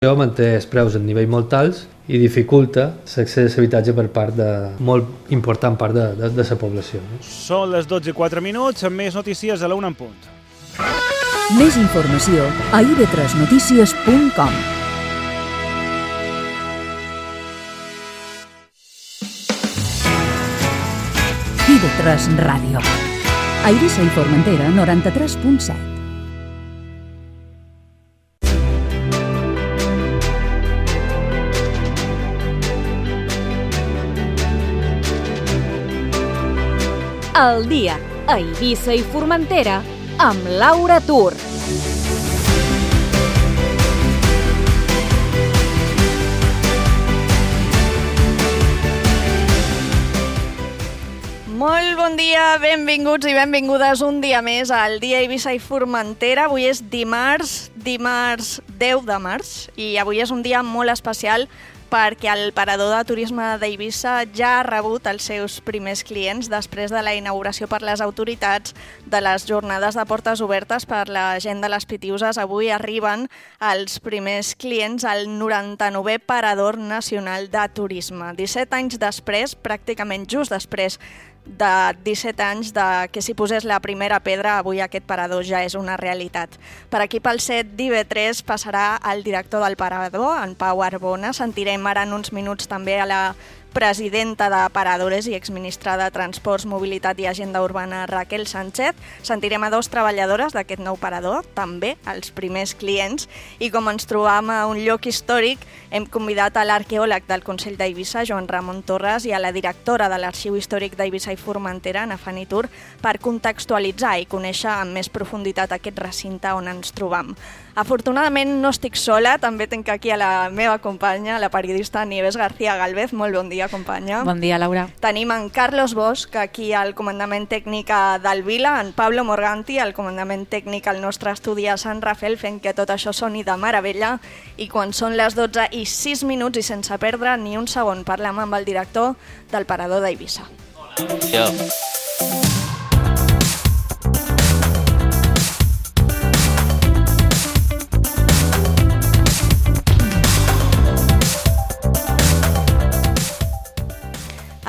manté els preus en nivell molt alts i dificulta l'accés a l'habitatge per part de molt important part de la població. Són les 12:04, amb més notícies a la 1 en punt. Més informació a ib3notícies.com. IB3 Ràdio. A Eivissa i Formentera, 93.7. El dia a Eivissa i Formentera amb Laura Tur. Molt bon dia, benvinguts i benvingudes un dia més al dia Eivissa i Formentera. Avui és dimarts 10 de març i avui és un dia molt especial perquè el parador de turisme d'Eivissa ja ha rebut els seus primers clients després de la inauguració per les autoritats de les jornades de portes obertes per la gent de les Pitiüses. Avui arriben els primers clients al 99è Parador Nacional de Turisme. 17 anys després, pràcticament just després de 17 anys que s'hi posés la primera pedra, avui aquest parador ja és una realitat. Per aquí pel set d'IB3 passarà el director del parador, en Pau Arbona. Sentirem ara en uns minuts també a la presidenta de Paradores i exministra de Transports, Mobilitat i Agenda Urbana, Raquel Sánchez. Sentirem a 2 treballadores d'aquest nou parador, també els primers clients. I com ens trobam a un lloc històric, hem convidat a l'arqueòleg del Consell d'Eivissa, Joan Ramon Torres, i a la directora de l'Arxiu Històric d'Eivissa i Formentera, Ana Fanny Tur, per contextualitzar i conèixer amb més profunditat aquest recinte on ens trobam. Afortunadament no estic sola, també tinc aquí a la meva companya, la periodista Nieves García Galvez. Molt bon dia, companya. Bon dia, Laura. Tenim en Carlos Bosch, aquí al comandament tècnic del Vila, en Pablo Morganti, al comandament tècnic al nostre estudi a Sant Rafael, fent que tot això soni de meravella. I quan són les 12:06 i sense perdre ni un segon parlem amb el director del Parador d'Eivissa. Ja.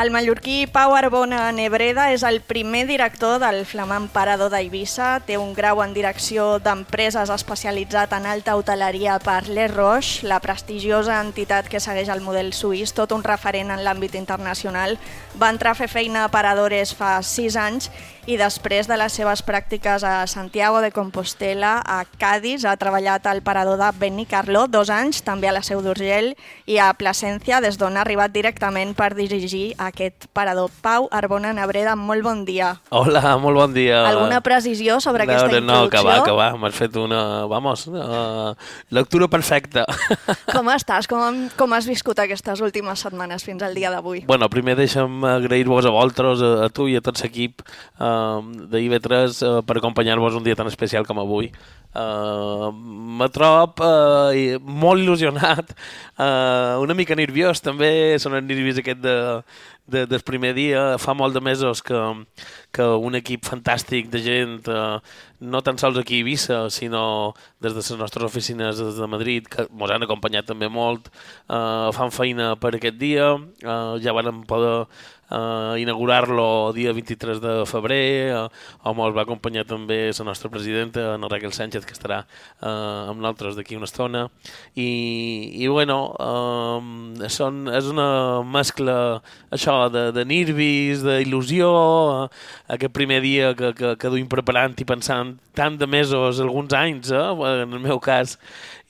El mallorquí Pau Arbona Nebreda és el primer director del flamant Parador d'Eivissa. Té un grau en direcció d'empreses especialitzat en alta hoteleria per Les Roches, la prestigiosa entitat que segueix el model suís, tot un referent en l'àmbit internacional. Va entrar a fer feina a Paradores fa 6 anys i després de les seves pràctiques a Santiago de Compostela, a Cádiz, ha treballat al Parador de Benicarló 2 anys, també a la Seu d'Urgell i a Plasència, des d'on ha arribat directament per dirigir aquest parador. Pau Arbona Nebreda, molt bon dia. Hola, molt bon dia. Alguna precisió sobre aquesta introducció? No, que va, m'has fet una, lectura perfecta. Com estàs? Com has viscut aquestes últimes setmanes fins al dia d'avui? Bueno, primer deixa'm agrair-vos a vosaltres, a tu i a tot l'equip d'IB3 per acompanyar-vos un dia tan especial com avui. Me trob molt il·lusionat, una mica nerviós també, són els nervis aquest del primer dia. Fa molt de mesos que un equip fantàstic de gent, no tan sols aquí a Eivissa, sinó des de les nostres oficines de Madrid, que ens han acompanyat també molt, fan feina per aquest dia. Ja vam poder inaugurar-lo dia 23 de febrer, on ens va acompanyar també la nostra presidenta, la Raquel Sánchez, que estarà amb nosaltres d'aquí una estona. I bueno, és una mescla això de nervis, d'il·lusió, aquest primer dia que duim preparant i pensant tant de mesos, alguns anys, en el meu cas,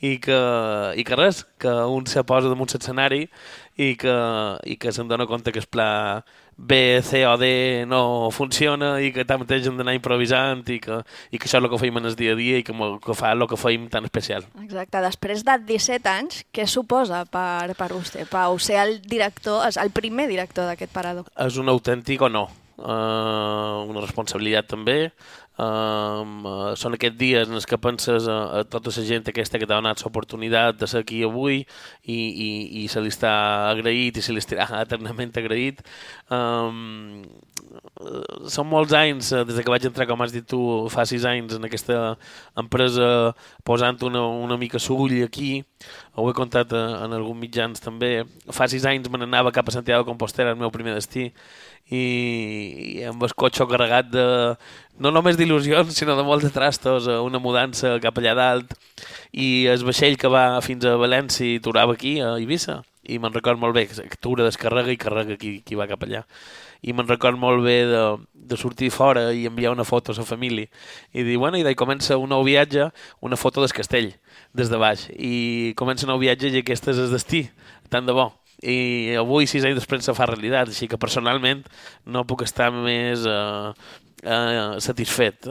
i que res, que un se posa damunt l'escenari i que se'n dona compte que el pla B, C o D no funciona i que tanmateix hem d'anar improvisant i que això és el que feim en el dia a dia i que fa el que feim tan especial. Exacte. Després de 17 anys, què suposa per vostè, Pau, ser el primer director d'aquest parador? És un autèntic honor. una responsabilitat també. Són aquests dies en els que penses a tota la gent aquesta que t'ha donat l'oportunitat de ser aquí avui i se li està agraït i se li estarà eternament agraït. Són molts anys, des que vaig entrar, com has dit tu, fa 6 anys en aquesta empresa, posant una mica sull aquí. Ho he contat en alguns mitjans també. Fa 6 anys me n'anava cap a Santiago de Compostela, el meu primer destí, i amb el cotxe carregat de no només d'il·lusions sinó de molts de trastos, una mudança cap allà dalt, i el vaixell que va fins a València i torava aquí a Eivissa, i me'n record molt bé que tura, descarrega i carrega qui va cap allà, i me'n record molt bé de sortir fora i enviar una foto a la família i dir, bueno, i d'ahir comença un nou viatge, una foto del castell des de baix, i comença un nou viatge i aquest és el destí, tant de bo. I avui, 6 anys després, se fa realitat, així que personalment no puc estar més satisfet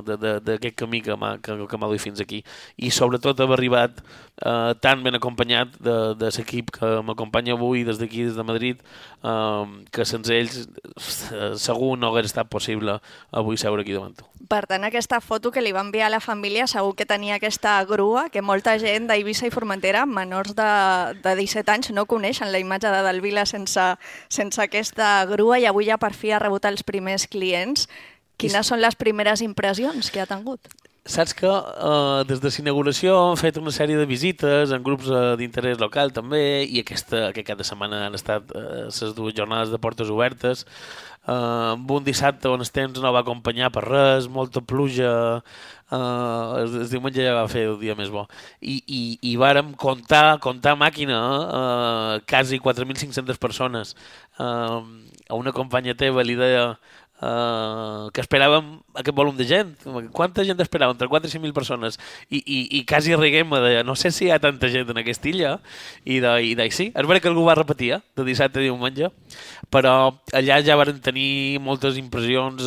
d'aquest camí que m'ha dut fins aquí, i sobretot haver arribat tan ben acompanyat de l'equip que m'acompanya avui des d'aquí, des de Madrid, que sense ells segur no hagués estat possible avui seure aquí davant tu. Per tant, aquesta foto que li va enviar a la família segur que tenia aquesta grua que molta gent d'Eivissa i Formentera, menors de 17 anys, no coneixen la imatge de Delvila sense aquesta grua, i avui ja per fi ha rebut els primers clients. Quines són les primeres impressions que ha tingut? Saps que des de l'inauguració hem fet una sèrie de visites en grups d'interès local també, i aquest cap de setmana han estat les 2 jornades de portes obertes, amb un dissabte on el temps no va acompanyar per res, molta pluja, el diumenge ja va fer el dia més bo, i vàrem comptar màquina, quasi 4.500 persones. A una companya teva li deia que esperàvem aquest volum de gent. Quanta gent esperàvem? Entre 4 i 5.000 persones. I quasi riguem, deia, no sé si hi ha tanta gent en aquesta illa. I sí, és veritat que algú va repetir, de dissabte a diumenge, però allà ja varen tenir moltes impressions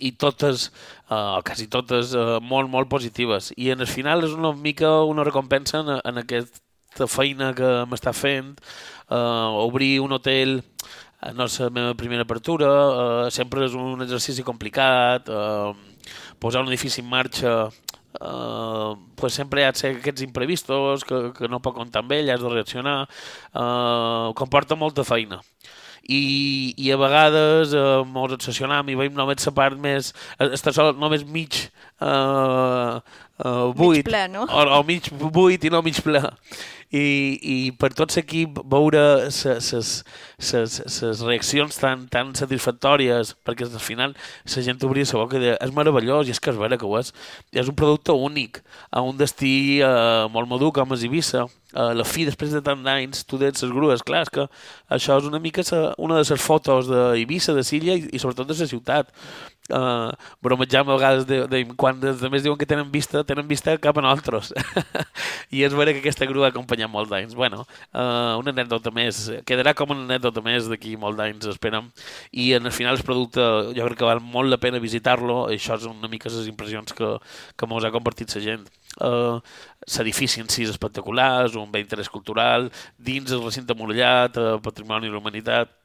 i totes, quasi totes, molt, molt positives. I en el final és una mica una recompensa en aquesta feina que m'està fent. Obrir un hotel no és la meva primera apertura, sempre és un exercici complicat, posar un edifici en marxa, pues sempre hi ha aquests imprevistos que no pot comptar amb ell, has de reaccionar, comporta molta feina. I a vegades ens obsessionam i veiem només la part més, està sol només mig buit, mig ple, no? o mig buit i no mig ple. I per tot l'equip veure les reaccions tan satisfactòries, perquè al final la gent obria la boca i deia, és meravellós, i és que és vera que ho és. És un producte únic, a un destí molt madur com és Eivissa. A la fi, després de tant d'anys, tu dets les grues, clar, és que això és una mica una de les fotos d'Eivissa, de Silla i sobretot de la ciutat. Bromejam a vegades quan els altres diuen que tenen vista cap a nosaltres. I és vera que aquesta grua ha acompanyat molts anys. Bueno, una anècdota més, quedarà com una anècdota més d'aquí molts anys, esperem. I en el final el producte jo crec que val molt la pena visitar-lo, i això és una mica les impressions que mos ha compartit la gent. L'edifici en si és espectacular, és un bé d'interès cultural, dins el recinte murallat, patrimoni de la humanitat,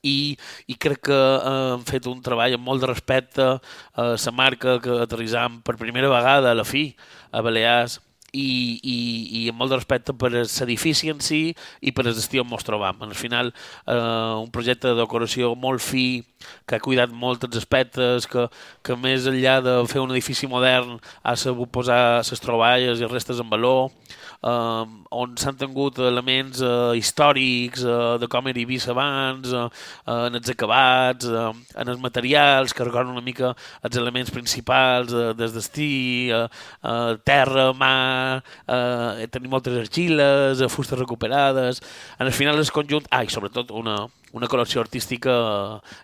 i crec que hem fet un treball amb molt de respecte a la marca que aterrissam per primera vegada a la fi a Balears, i amb molt de respecte per l'edifici en si i per el destí on ens trobam. Al final, un projecte de decoració molt fi, que ha cuidat molt els aspectes, que més enllà de fer un edifici modern ha sabut posar les troballes i restes en valor, on s'han tingut elements històrics de com era Eivissa abans, en els acabats, en els materials que recorden una mica els elements principals del destí, terra, mar, tenir moltes argiles, fustes recuperades. En el final és conjunt, i sobretot una col·lecció artística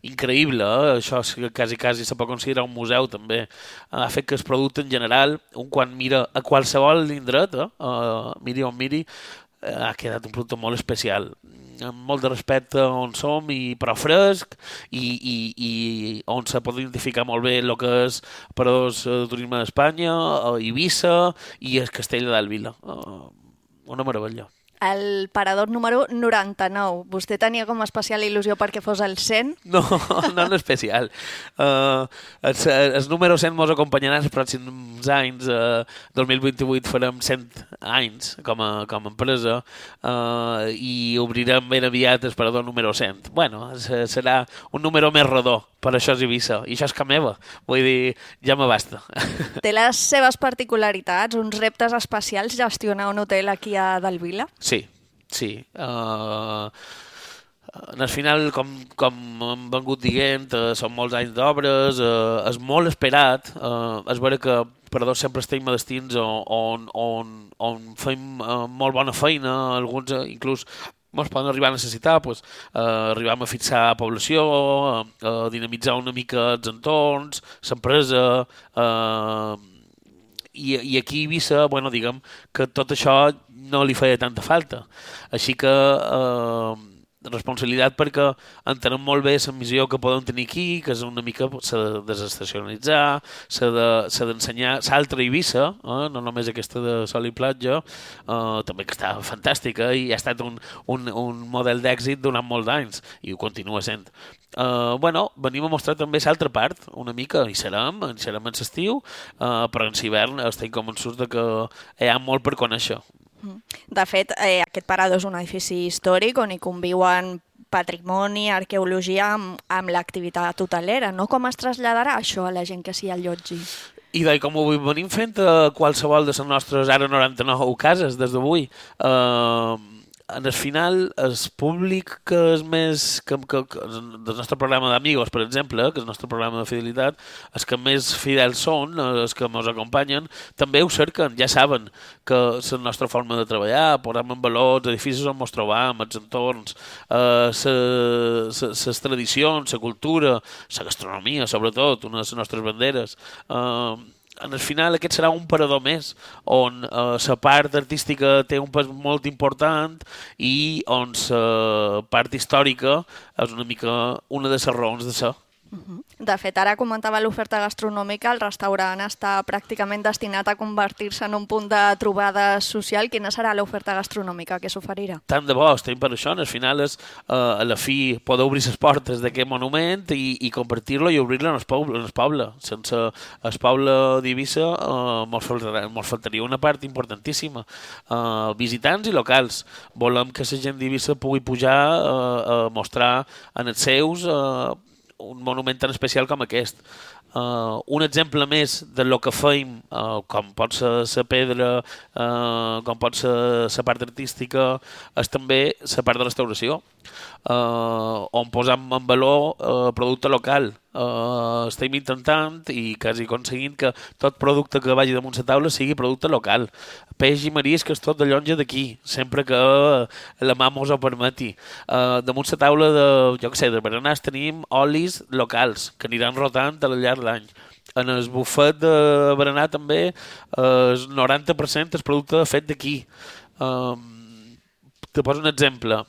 increïble, això quasi se pot considerar un museu també. Ha fet que el producte en general, quan mira a qualsevol indret, miri on miri, ha quedat un producte molt especial, amb molt de respecte on som, però fresc, i on se pot identificar molt bé el que és paradors de turisme d'Espanya, Eivissa i el castell de Delvila. Una meravella. el parador número 99. Vostè tenia com a especial il·lusió perquè fos el 100? No, no en especial. El número 100 mos acompanyarà els pròxims anys. 2028 farem 100 anys com a empresa i obrirem ben aviat el parador número 100. Bueno, serà un número més rodó, per això és Eivissa. I això és que meva. Vull dir, ja me basta. Té les seves particularitats, uns reptes especials gestionar un hotel aquí a Delvila? Sí. Al final, com hem vengut dient, són molts anys d'obres, és molt esperat, és vera que Paradors sempre estem a destins on fem molt bona feina, alguns inclús ens poden arribar a necessitar, arribem a fixar població, a dinamitzar una mica els entorns, l'empresa, i aquí a Eivissa, diguem que tot això no li feia tanta falta. Així que responsabilitat perquè entenem molt bé la missió que podem tenir aquí, que és una mica s'ha de desestacionalitzar, s'ha d'ensenyar l'altra Eivissa, no només aquesta de sol i platja, també que està fantàstica i ha estat un model d'èxit durant molts anys i ho continua sent. Venim a mostrar també l'altra part, una mica, hi serem en l'estiu, però en l'hivern estem convençuts que hi ha molt per conèixer. De fet, aquest parador és un edifici històric on hi conviuen patrimoni, arqueologia amb l'activitat hotelera, no? Com es traslladarà això a la gent que s'hi allotgi? I com ho venim fent a qualsevol de les nostres ara 99 cases des d'avui, en el final, el públic que és més del nostre programa d'Amigos, per exemple, que és el nostre programa de fidelitat, els que més fidels són, els que ens acompanyen, també ho cerquen, ja saben que és la nostra forma de treballar, posem en valor els edificis on ens trobam, els entorns, les tradicions, la cultura, la gastronomia, sobretot, una de les nostres banderes. En el final aquest serà un parador més on la part artística té un pes molt important i on la part històrica és una mica una de les raons de ser. De fet, ara comentava l'oferta gastronòmica, el restaurant està pràcticament destinat a convertir-se en un punt de trobada social. Quina serà l'oferta gastronòmica que s'oferirà? Tant de bo, estem per això. Al final és, a la fi, poder obrir les portes d'aquest monument i compartir-lo i obrir-lo en el poble. Sense el poble d'Eivissa ens faltaria una part importantíssima. Visitants i locals. Volem que la gent d'Eivissa pugui pujar a mostrar en els seus un monument tan especial com aquest. Un exemple més del que feim, com pot ser la pedra, com pot ser la part artística, és també la part de restauració, on posam en valor producte local. Estem intentant i quasi aconseguint que tot producte que vagi damunt la taula sigui producte local. Peix i marisc és tot de llonja d'aquí, sempre que la mà mos ho permeti. Damunt la taula de berenars tenim olis locals que aniran rotant al llarg de l'any. En el bufet de berenar també el 90% és producte fet d'aquí. Te poso un exemple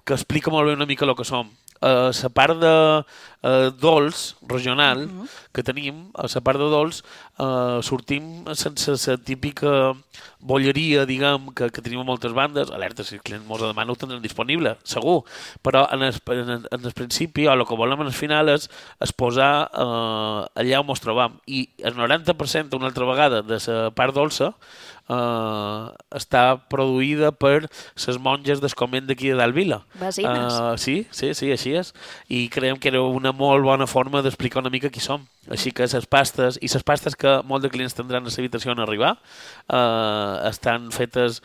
que explica molt bé una mica el que som. La part de dolç regional que tenim, a la part de dolç sortim sense la típica bolleria, diguem, que tenim a moltes bandes. Alerta, si el client mos demana ho tindrem disponible, segur, però en el principi, o el que volem en el final és posar allà on ens trobam, i el 90% una altra vegada de la part dolça està produïda per les monges del convent d'aquí de Delvila. Vesines. Sí, així és. I creiem que era una molt bona forma d'explicar una mica qui som. Així que les pastes que molts de clients tindran a l'habitació en arribar estan fetes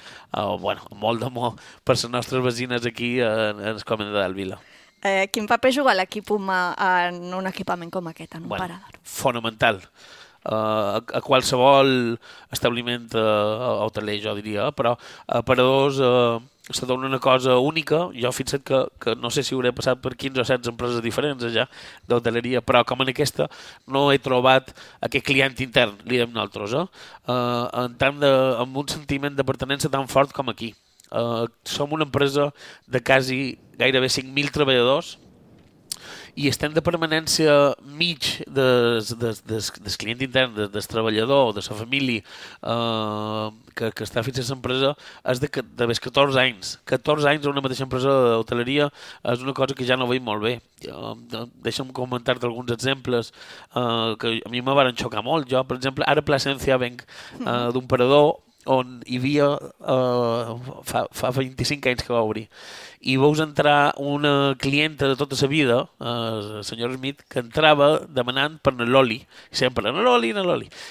molt d'amor per les nostres vesines aquí en el convent de Delvila. Quin paper juga l'equip humà en un equipament com aquest, en un parador? Fonamental. A qualsevol establiment hoteler, jo diria, però a paradors se dona una cosa única. Jo fixa't que no sé si hauré passat per 15 o 16 empreses diferents allà d'hoteleria, però com en aquesta no he trobat aquest client intern, li diem nosaltres, amb un sentiment de pertinença tan fort com aquí. Som una empresa de gairebé 5.000 treballadors i el temps de permanència mig del client intern, del treballador, de la família que està fixant l'empresa és de 14 anys. 14 anys a una mateixa empresa d'hoteleria és una cosa que ja no veig molt bé. Deixa'm comentar-te alguns exemples que a mi me van xocar molt. Jo, per exemple, ara a Plasencia venc d'un parador on hi havia fa 25 anys que va obrir, i veus entrar una clienta de tota la vida, el senyor Smith, que entrava demanant per Loli, sempre Loli,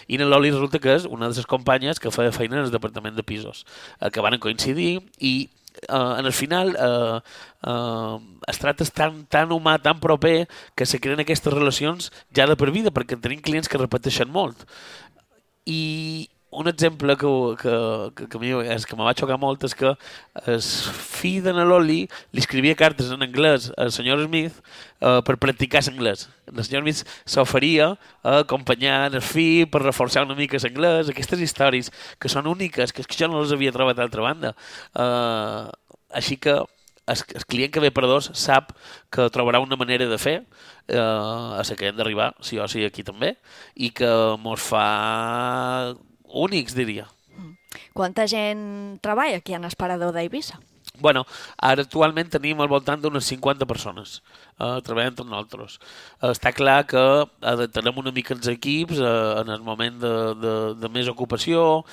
i Loli resulta que és una de les companyes que feia feina en el departament de pisos, que van coincidir, i en el final es tracta tan humà, tan proper, que se creen aquestes relacions ja de per vida, perquè tenim clients que repeteixen molt. I un exemple que a mi me va xocar molt és que el fill de Loli li escrivia cartes en anglès al senyor Smith per practicar l'anglès. El senyor Smith s'oferia a acompanyar el fill per reforçar una mica l'anglès. Aquestes històries que són úniques, que jo no les havia trobat d'altra banda. Així que el client que ve per dos sap que trobarà una manera de fer a la que hem d'arribar, sí o sí aquí també, i que mos fa únics, diria. Quanta gent treballa aquí en el parador d'Eivissa? Bueno, ara actualment tenim al voltant d'unes 50 persones treballant amb nosaltres. Està clar que adaptarem una mica els equips en el moment de més ocupació.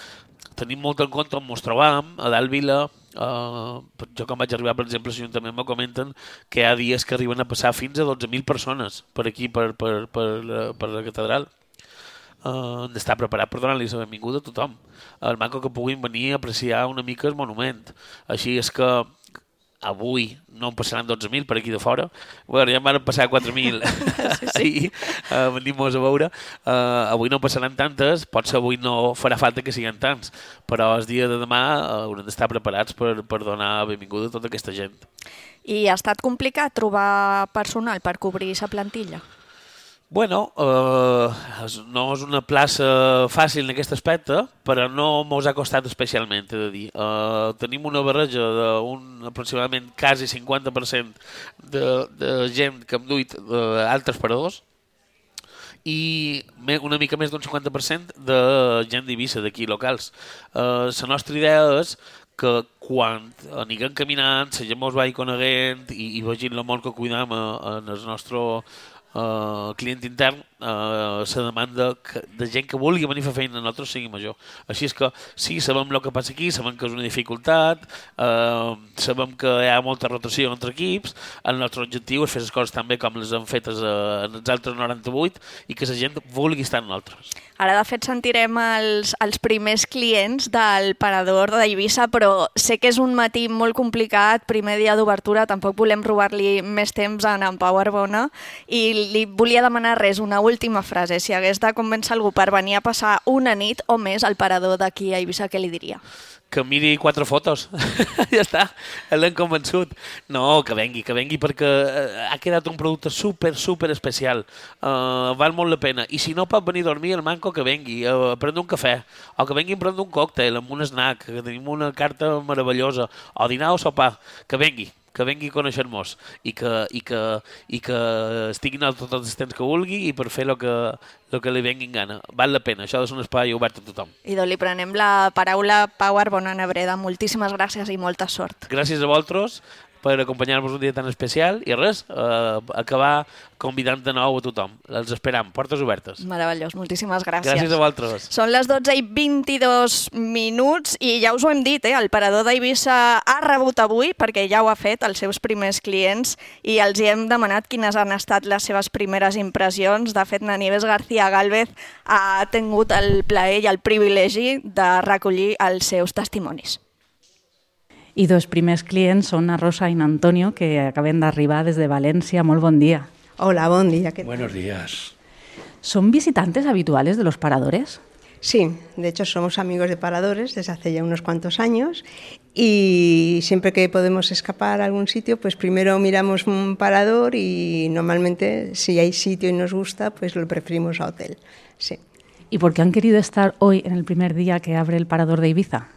Tenim molt en compte on ens trobam, a dalt Vila. Jo quan vaig arribar, per exemple, l'Ajuntament me comenten que hi ha dies que arriben a passar fins a 12.000 persones per aquí, per la catedral. Hem d'estar preparat per donar-li la benvinguda a tothom. El maco que puguin venir a apreciar una mica el monument. Així és que avui no en passaran 12.000 per aquí de fora. Bueno, ja en van passar 4.000 ahir, venim-nos a veure. Avui no passaran tantes, potser avui no farà falta que siguin tants, però el dia de demà haurem d'estar preparats per donar benvinguda a tota aquesta gent. I ha estat complicat trobar personal per cobrir la plantilla? Bueno, no és una plaça fàcil en aquest aspecte, però no mos ha costat especialment, he de dir. Tenim una barreja d'un aproximadament quasi 50% de gent que hem duit altres paradors i una mica més d'un 50% de gent d'Eivissa, d'aquí locals. La nostra idea és que quan anirem caminant, la gent mos vagi coneguent i vegin el molt que cuidam en el nostre client intern, la demanda de gent que vulgui venir a fer feina a nosaltres sigui major. Així és que sí, sabem el que passa aquí, sabem que és una dificultat, sabem que hi ha molta rotació entre equips. El nostre objectiu és fer les coses tan bé com les han fetes en els altres 98 i que la gent vulgui estar amb nosaltres. Ara, de fet, sentirem els primers clients del parador d'Eivissa, però sé que és un matí molt complicat, primer dia d'obertura, tampoc volem robar-li més temps a en Pau Arbona, i li volia demanar res, una última frase. Si hagués de convèncer algú per venir a passar una nit o més al parador d'aquí a Eivissa, què li diria? Que miri 4 fotos. Ja està, l'hem convençut. No, que vengui perquè ha quedat un producte super especial. Val molt la pena. I si no pot venir a dormir, el manco que vengui a prendre un cafè, o que vengui a prendre un còctel amb un snack, que tenim una carta meravellosa, o dinar o sopar, que vengui a conèixer-nos i que estiguin tot el temps que vulgui i per fer el que li vengui en gana. Val la pena, això és un espai obert a tothom. I li prenem la paraula Pau Arbona Nebreda. Moltíssimes gràcies i molta sort. Gràcies a vosaltres per acompanyar-nos un dia tan especial i res, acabar convidant de nou a tothom. Els esperam, portes obertes. Meravellós, moltíssimes gràcies. Gràcies a vosaltres. Són les 12:22 i ja us ho hem dit, el parador d'Eivissa ha rebut avui, perquè ja ho ha fet, els seus primers clients, i els hi hem demanat quines han estat les seves primeres impressions. De fet, Nieves García Gálvez ha tingut el plaer i el privilegi de recollir els seus testimonis. I dos primers clients són a Rosa i Antonio, que acaben d'arribar des de València. Molt bon dia. Hola, bon dia. Buenos días. ¿Son visitantes habituales de los paradores? Sí, de hecho somos amigos de paradores desde hace ya unos cuantos años y siempre que podemos escapar a algún sitio, pues primero miramos un parador y normalmente si hay sitio y nos gusta, pues lo preferimos a hotel. Sí. ¿Y por qué han querido estar hoy en el primer día que abre el parador de Ibiza?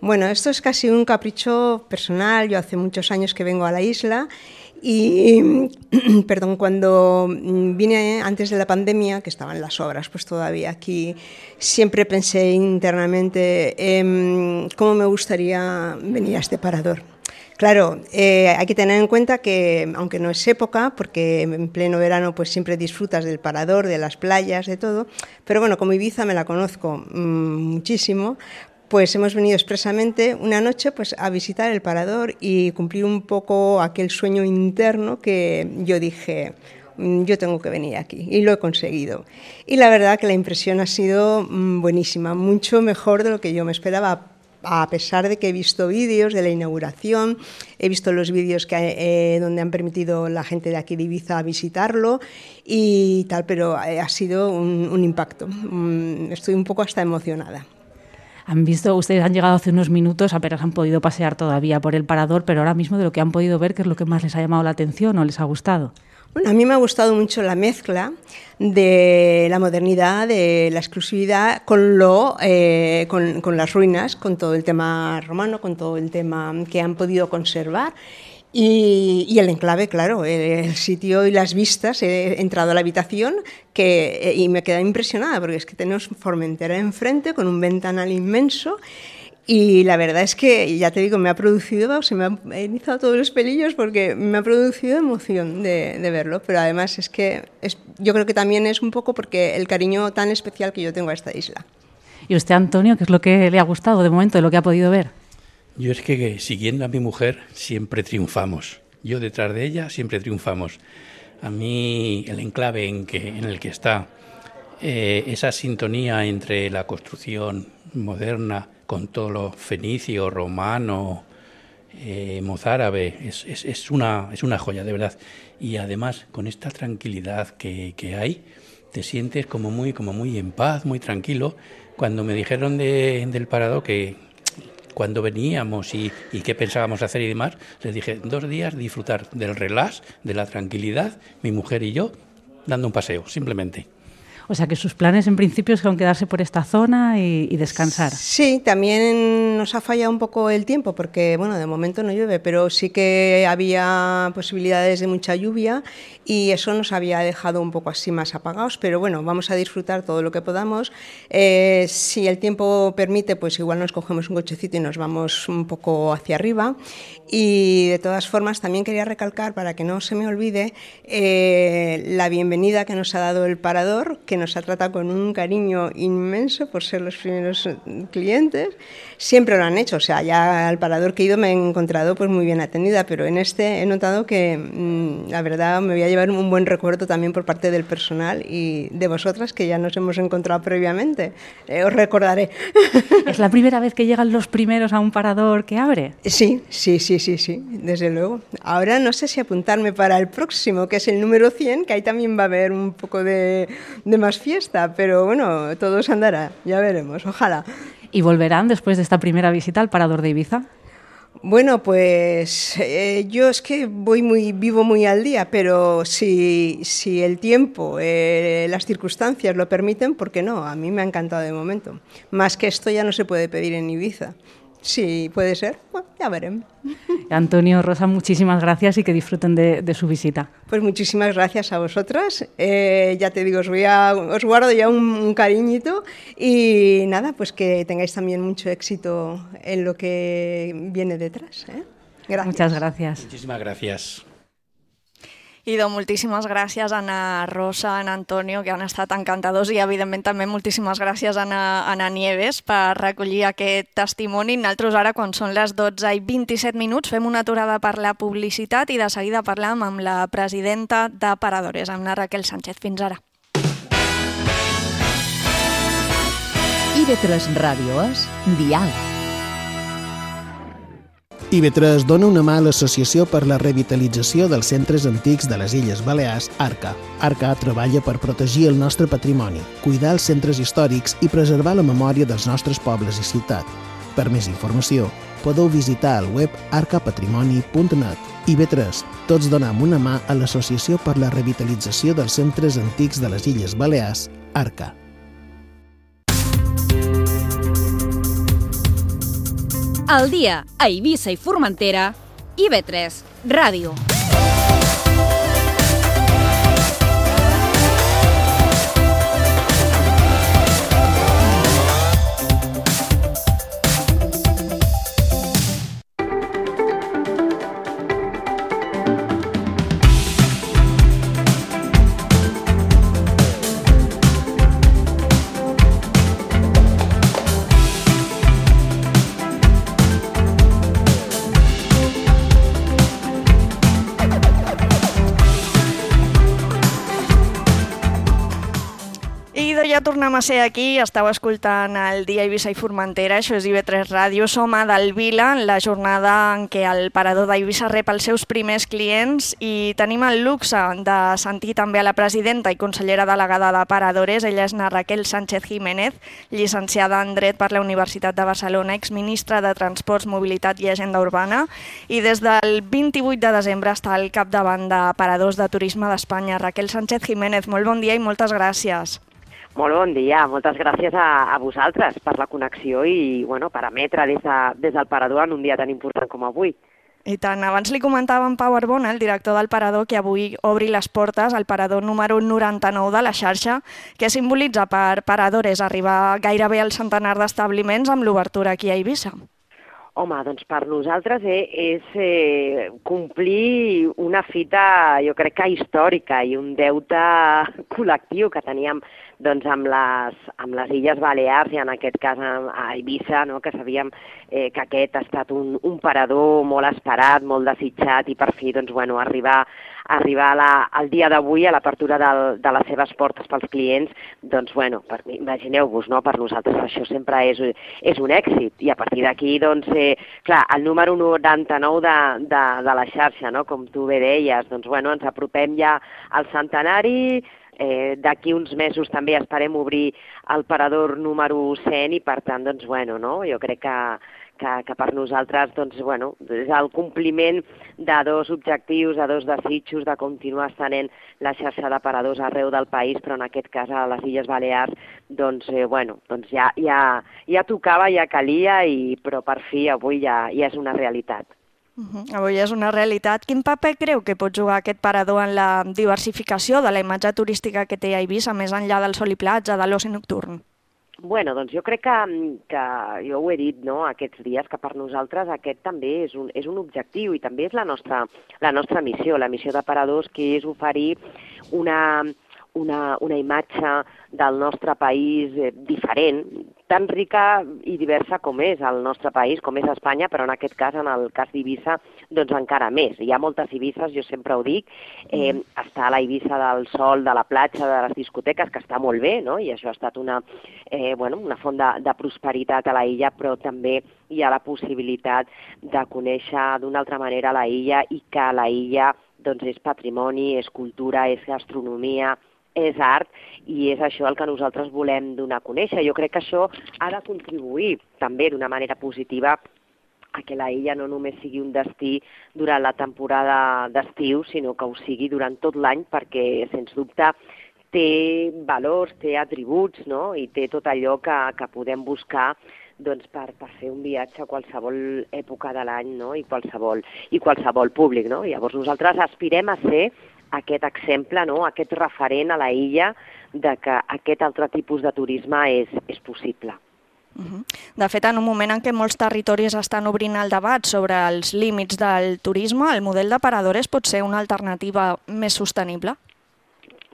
Bueno, esto es casi un capricho personal. Yo hace muchos años que vengo a la isla Y, perdón, cuando vine antes de la pandemia, que estaban las obras pues todavía aquí, siempre pensé internamente cómo me gustaría venir a este parador. Claro, hay que tener en cuenta que, aunque no es época, porque en pleno verano pues siempre disfrutas del parador, de las playas, de todo, pero bueno, como Ibiza me la conozco muchísimo, pues hemos venido expresamente una noche pues a visitar el parador y cumplir un poco aquel sueño interno que yo dije, yo tengo que venir aquí, y lo he conseguido. Y la verdad que la impresión ha sido buenísima, mucho mejor de lo que yo me esperaba, a pesar de que he visto vídeos de la inauguración, he visto los vídeos donde han permitido la gente de aquí de Ibiza visitarlo y tal, pero ha sido un impacto. Estoy un poco hasta emocionada. Ustedes han llegado hace unos minutos, apenas han podido pasear todavía por el parador, pero ahora mismo de lo que han podido ver, ¿qué es lo que más les ha llamado la atención o les ha gustado? Bueno, a mí me ha gustado mucho la mezcla de la modernidad, de la exclusividad con las ruinas, con todo el tema romano, con todo el tema que han podido conservar. Y el enclave, claro, el sitio y las vistas. He entrado a la habitación y me he quedado impresionada porque es que tenemos Formentera enfrente con un ventanal inmenso. Y la verdad es que, ya te digo, se me han erizado todos los pelillos porque me ha producido emoción de verlo, pero además yo creo que también es un poco porque el cariño tan especial que yo tengo a esta isla. ¿Y usted, Antonio, qué es lo que le ha gustado de momento, de lo que ha podido ver? Yo es que siguiendo a mi mujer siempre triunfamos, yo detrás de ella siempre triunfamos. A mí el enclave en el que está, esa sintonía entre la construcción moderna con todo lo fenicio, romano, mozárabe, es una joya, de verdad. Y además, con esta tranquilidad que hay, te sientes como muy en paz, muy tranquilo. Cuando me dijeron del parador que cuando veníamos y qué pensábamos hacer y demás, les dije 2 días disfrutar del relax, de la tranquilidad, mi mujer y yo, dando un paseo, simplemente. O sea que sus planes en principio son quedarse por esta zona y descansar. Sí, también nos ha fallado un poco el tiempo porque, bueno, de momento no llueve, pero sí que había posibilidades de mucha lluvia y eso nos había dejado un poco así más apagados, pero bueno, vamos a disfrutar todo lo que podamos. Si el tiempo permite, pues igual nos cogemos un cochecito y nos vamos un poco hacia arriba. Y de todas formas también quería recalcar, para que no se me olvide, la bienvenida que nos ha dado el parador, que nos ha tratado con un cariño inmenso por ser los primeros clientes. Siempre lo han hecho, o sea, ya al parador que he ido me he encontrado pues muy bien atendida, pero en este he notado que la verdad me voy a llevar un buen recuerdo también por parte del personal y de vosotras, que ya nos hemos encontrado previamente. Os recordaré. ¿Es la primera vez que llegan los primeros a un parador que abre? Sí, desde luego. Ahora no sé si apuntarme para el próximo, que es el número 100, que ahí también va a haber un poco de más fiesta, pero bueno, todo se andará, ya veremos, ojalá. ¿Y volverán después de esta primera visita al parador de Ibiza? Bueno, pues yo es que vivo muy al día, pero si el tiempo, las circunstancias lo permiten, ¿por qué no? A mí me ha encantado de momento. Más que esto ya no se puede pedir en Ibiza. Sí, puede ser. Bueno, ya veremos. Antonio, Rosa, muchísimas gracias y que disfruten de su visita. Pues muchísimas gracias a vosotras. Ya te digo, os guardo ya un cariñito y nada, pues que tengáis también mucho éxito en lo que viene detrás. Gracias. Muchas gracias. Muchísimas gracias. Idò, moltíssimes gràcies a na Rosa, a na Antonio, que han estat encantadors, i evidentment també moltíssimes gràcies a na Nieves per recollir aquest testimoni. Nosaltres ara, quan són les 12:27, fem una aturada per la publicitat i de seguida parlam amb la presidenta de Paradores, amb la Raquel Sánchez. Fins ara. IB3 Ràdio és Diàleg. IB3 dona una mà a l'Associació per la Revitalització dels Centres Antics de les Illes Balears, ARCA. ARCA treballa per protegir el nostre patrimoni, cuidar els centres històrics i preservar la memòria dels nostres pobles i ciutats. Per més informació, podeu visitar el web arcapatrimoni.net. IB3, tots donem una mà a l'Associació per la Revitalització dels Centres Antics de les Illes Balears, ARCA. Al dia a Eivissa i Formentera, IB3 Ràdio. tornem a ser aquí, estàu escoltant el Dia Eivissa i Formentera, això és IB3 Ràdio, som a Delvila, en la jornada en què el parador d'Eivissa rep els seus primers clients i tenim el luxe de sentir també a la presidenta i consellera delegada de Paradores, ella és na Raquel Sánchez Jiménez, llicenciada en Dret per la Universitat de Barcelona, exministra de Transports, Mobilitat i Agenda Urbana, i des del 28 de desembre està al capdavant de Paradors de Turisme d'Espanya. Raquel Sánchez Jiménez, molt bon dia i moltes gràcies. Molt bon dia, moltes gràcies a vosaltres per la connexió i per emetre des del Parador en un dia tan important com avui. I tant, abans li comentava en Pau Arbona, el director del Parador, que avui obri les portes al Parador número 99 de la xarxa, que simbolitza per Paradores arribar gairebé al centenar d'establiments amb l'obertura aquí a Eivissa. Home, doncs per nosaltres és complir una fita, jo crec que històrica i un deute col·lectiu que teníem amb les Illes Balears i en aquest cas a Eivissa, que sabíem que aquest ha estat un parador molt esperat, molt desitjat i per fi arribar al dia d'avui, a l'apertura de les seves portes pels clients, imagineu-vos, per nosaltres això sempre és un èxit i a partir d'aquí, clar, el número 99 de la xarxa, com tu bé deies, ens apropem ja al centenari. D'aquí uns mesos també esperem obrir el parador número 100 i per tant, jo crec que per nosaltres és el compliment de dos objectius, de dos desitjos, de continuar estenent la xarxa de paradors arreu del país, però en aquest cas a les Illes Balears ja tocava, ja calia, però per fi avui ja és una realitat. Avui és una realitat. Quin paper creu que pot jugar aquest parador en la diversificació de la imatge turística que té a Eivissa, més enllà del sol i platja, de l'oci nocturn? Jo crec que jo ho he dit aquests dies, que per nosaltres aquest també és un objectiu i també és la nostra missió, la missió de Paradors, que és oferir una imatge del nostre país diferent, tan rica i diversa com és el nostre país, com és Espanya, però en aquest cas, en el cas d'Eivissa, encara més. Hi ha moltes Eivisses, jo sempre ho dic, està la Eivissa del sol, de la platja, de les discoteques, que està molt bé, i això ha estat una font de prosperitat a la illa, però també hi ha la possibilitat de conèixer d'una altra manera la illa i que la illa és patrimoni, és cultura, és gastronomia, és art i és això el que nosaltres volem donar a conèixer. Jo crec que això ha de contribuir també d'una manera positiva a que la illa no només sigui un destí durant la temporada d'estiu, sinó que ho sigui durant tot l'any perquè, sens dubte, té valors, té atributs, i té tot allò que podem buscar per fer un viatge a qualsevol època de l'any i qualsevol públic. Llavors nosaltres aspirem a ser aquest exemple, aquest referent a la illa de que aquest altre tipus de turisme és possible. De fet, en un moment en què molts territoris estan obrint el debat sobre els límits del turisme, el model de Paradores pot ser una alternativa més sostenible?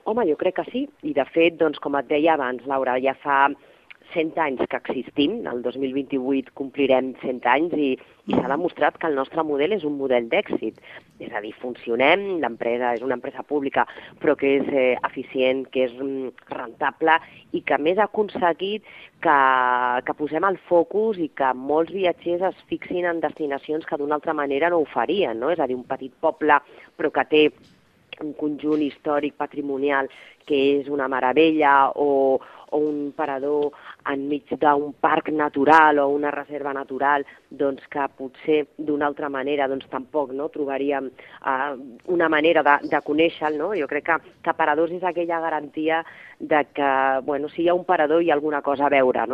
Home, jo crec que sí. I de fet, com et deia abans, Laura, ja fa 100 anys que existim, el 2028 complirem 100 anys i s'ha demostrat que el nostre model és un model d'èxit. És a dir, funcionem, l'empresa és una empresa pública però que és eficient, que és rentable i que a més ha aconseguit que posem el focus i que molts viatgers es fixin en destinacions que d'una altra manera no ho farien, És a dir, un petit poble però que té un conjunt històric patrimonial que és una meravella o un parador enmig d'un parc natural o una reserva natural que potser d'una altra manera tampoc trobaríem una manera de conèixer-lo. Jo crec que Paradors és aquella garantia de que si hi ha un parador hi ha alguna cosa a veure.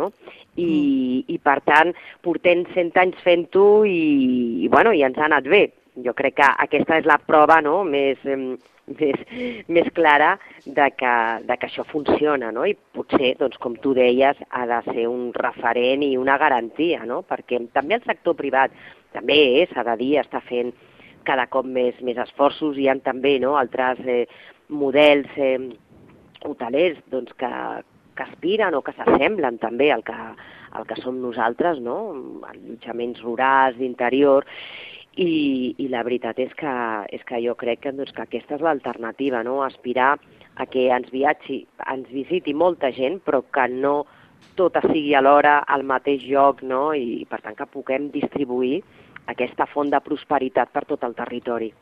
I per tant portem 100 anys fent-ho i ens ha anat bé. Jo crec que aquesta és la prova més clara de que això funciona, i potser, com tu deies, ha de ser un referent i una garantia, perquè també el sector privat també s'ha de dir, està fent cada cop més esforços, hi ha també altres models hotelers que aspiren o que s'assemblen també al que som nosaltres, allotjaments rurals d'interior. i la veritat és que jo crec que aquesta és l'alternativa, no? Aspirar a que ens visiti molta gent, però que no tota sigui alhora al mateix lloc, no? I per tant que puguem distribuir aquesta font de prosperitat per tot el territori.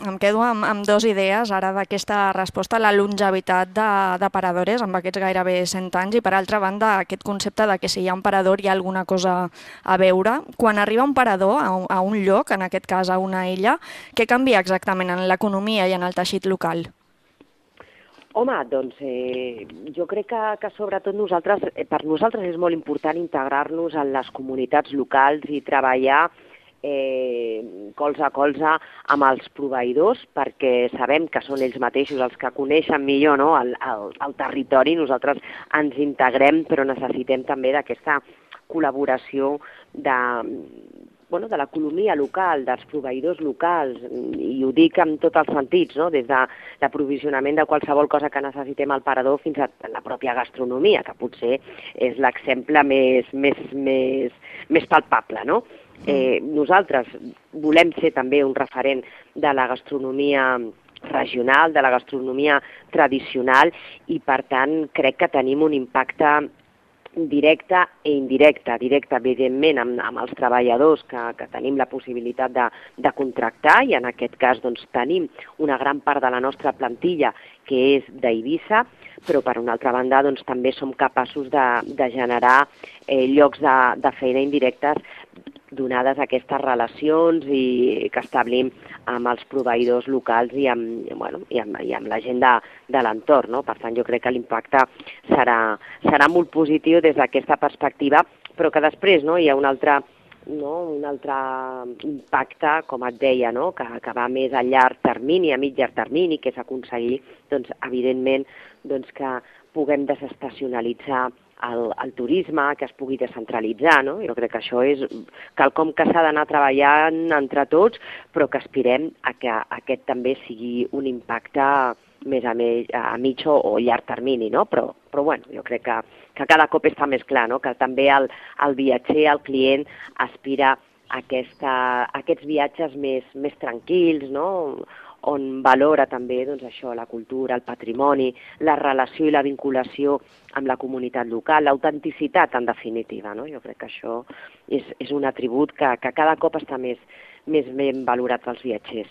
Em quedo amb dues idees ara d'aquesta resposta, la longevitat de paradores amb aquests gairebé 100 anys i per altra banda aquest concepte de que si hi ha un parador hi ha alguna cosa a veure. Quan arriba un parador a un lloc, en aquest cas a una illa, què canvia exactament en l'economia i en el teixit local? Home, doncs jo crec que sobretot per nosaltres és molt important integrar-nos en les comunitats locals i treballar colze a colze amb els proveïdors perquè sabem que són ells mateixos els que coneixen millor, no, el territori. Nosaltres ens integrem però necessitem també d'aquesta col·laboració de l'economia local, dels proveïdors locals, i ho dic en tots els sentits, no? Des de l'aprovisionament de qualsevol cosa que necessitem al parador fins a la pròpia gastronomia, que potser és l'exemple més palpable, no? Nosaltres volem ser també un referent de la gastronomia regional, de la gastronomia tradicional, i per tant crec que tenim un impacte directe i indirecte. Directe, evidentment, amb els treballadors que tenim la possibilitat de contractar, i en aquest cas tenim una gran part de la nostra plantilla que és d'Eivissa, però per una altra banda també som capaços de generar llocs de feina indirectes donades aquestes relacions que establim amb els proveïdors locals i amb la gent de l'entorn, no? Per tant, jo crec que l'impacte serà molt positiu des d'aquesta perspectiva, però que després hi ha un altre impacte, com et deia, no? que va més a llarg termini, a mig llarg termini, que és aconseguir, evidentment, que puguem desestacionalitzar el turisme, que es pugui descentralitzar, no? Jo crec que això és quelcom que s'ha d'anar treballant entre tots, però que aspirem a que aquest també sigui un impacte més a mig o llarg termini, no? Però bueno, jo crec que cada cop està més clar, no? Que també el viatger, el client, aspira a aquests viatges més tranquils, no? On valora també això, la cultura, el patrimoni, la relació i la vinculació amb la comunitat local, l'autenticitat, en definitiva, no? Jo crec que això és un atribut que cada cop està més ben valorat pels viatgers.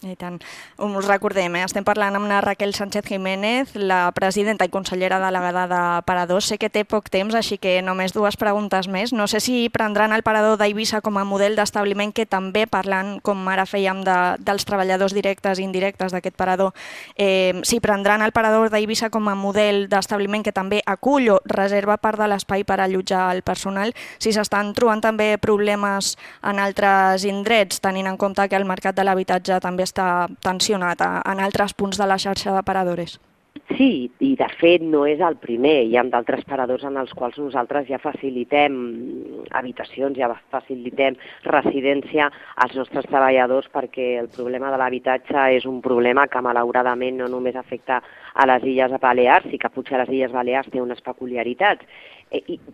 I tant. Us recordem, estem parlant amb la Raquel Sánchez Jiménez, la presidenta i consellera delegada de Paradors. Sé que té poc temps, així que només dues preguntes més. No sé si prendran el Parador d'Eivissa com a model d'establiment, que també, parlant, com ara fèiem, dels treballadors directes i indirectes d'aquest parador, si prendran el Parador d'Eivissa com a model d'establiment que també acull o reserva part de l'espai per allotjar el personal, si s'estan trobant també problemes en altres indrets, tenint en compte que el mercat de l'habitatge també està tensionat en altres punts de la xarxa de paradores. Sí, i de fet no és el primer. Hi ha d'altres paradors en els quals nosaltres ja facilitem habitacions, ja facilitem residència als nostres treballadors, perquè el problema de l'habitatge és un problema que malauradament no només afecta a les Illes Balears, i que potser a les Illes Balears té unes peculiaritats,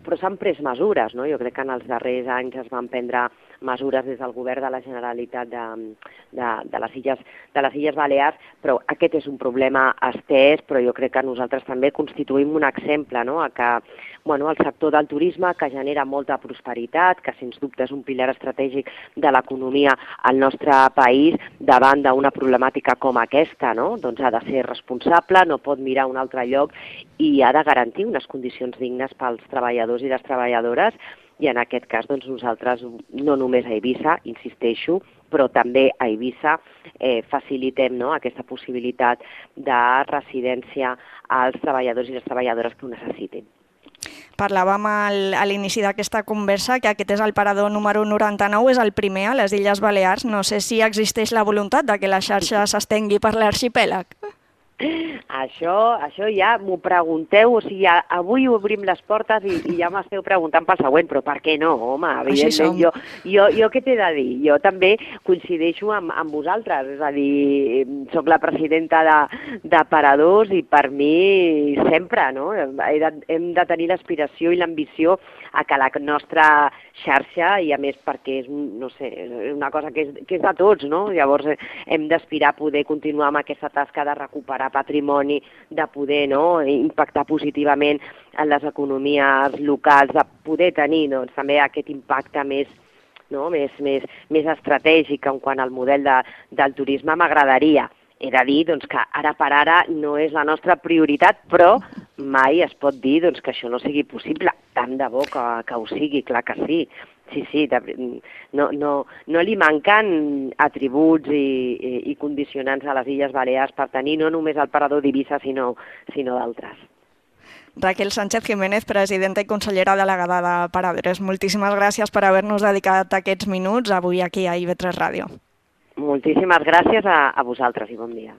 però s'han pres mesures, no? Jo crec que en els darrers anys es van prendre mesures des del govern de la Generalitat de les Illes Balears, però aquest és un problema estès, però jo crec que nosaltres també constituïm un exemple, no? Que el sector del turisme, que genera molta prosperitat, que sens dubte és un pilar estratègic de l'economia al nostre país, davant d'una problemàtica com aquesta, no? Doncs ha de ser responsable, no pot mirar a un altre lloc i ha de garantir unes condicions dignes pels treballadors i les treballadores. I en aquest cas nosaltres, no només a Eivissa, insisteixo, però també a Eivissa facilitem aquesta possibilitat de residència als treballadors i les treballadores que ho necessitin. Parlàvem a l'inici d'aquesta conversa que aquest és el parador número 99, és el primer a les Illes Balears. No sé si existeix la voluntat de que la xarxa s'estengui per l'arxipèlag. Això ja m'ho pregunteu, o sigui, avui obrim les portes i ja m'esteu preguntant pel següent, però per què no, home? Evidentment, jo què t'he de dir? Jo també coincideixo amb vosaltres, és a dir, soc la presidenta de Paradors i per mi sempre, no? Hem de tenir l'aspiració i l'ambició que la nostra xarxa, i a més perquè és, no sé, una cosa que és de tots, no? Llavors hem d'aspirar a poder continuar amb aquesta tasca de recuperar patrimoni, de poder, no, impactar positivament en les economies locals, de poder tenir, doncs, també aquest impacte més estratègic en quant al model del turisme. M'agradaria. He de dir doncs, que ara per ara no és la nostra prioritat, però mai es pot dir doncs, que això no sigui possible. Tant de bo que ho sigui, clar que sí. Sí, no li manquen atributs i condicionants a les Illes Balears per tenir no només el parador d'Eivissa, sinó d'altres. Raquel Sánchez Jiménez, presidenta i consellera delegada de Paradores, moltíssimes gràcies per haver-nos dedicat aquests minuts avui aquí a IB3 Ràdio. Moltíssimes gràcies a vosaltres i bon dia.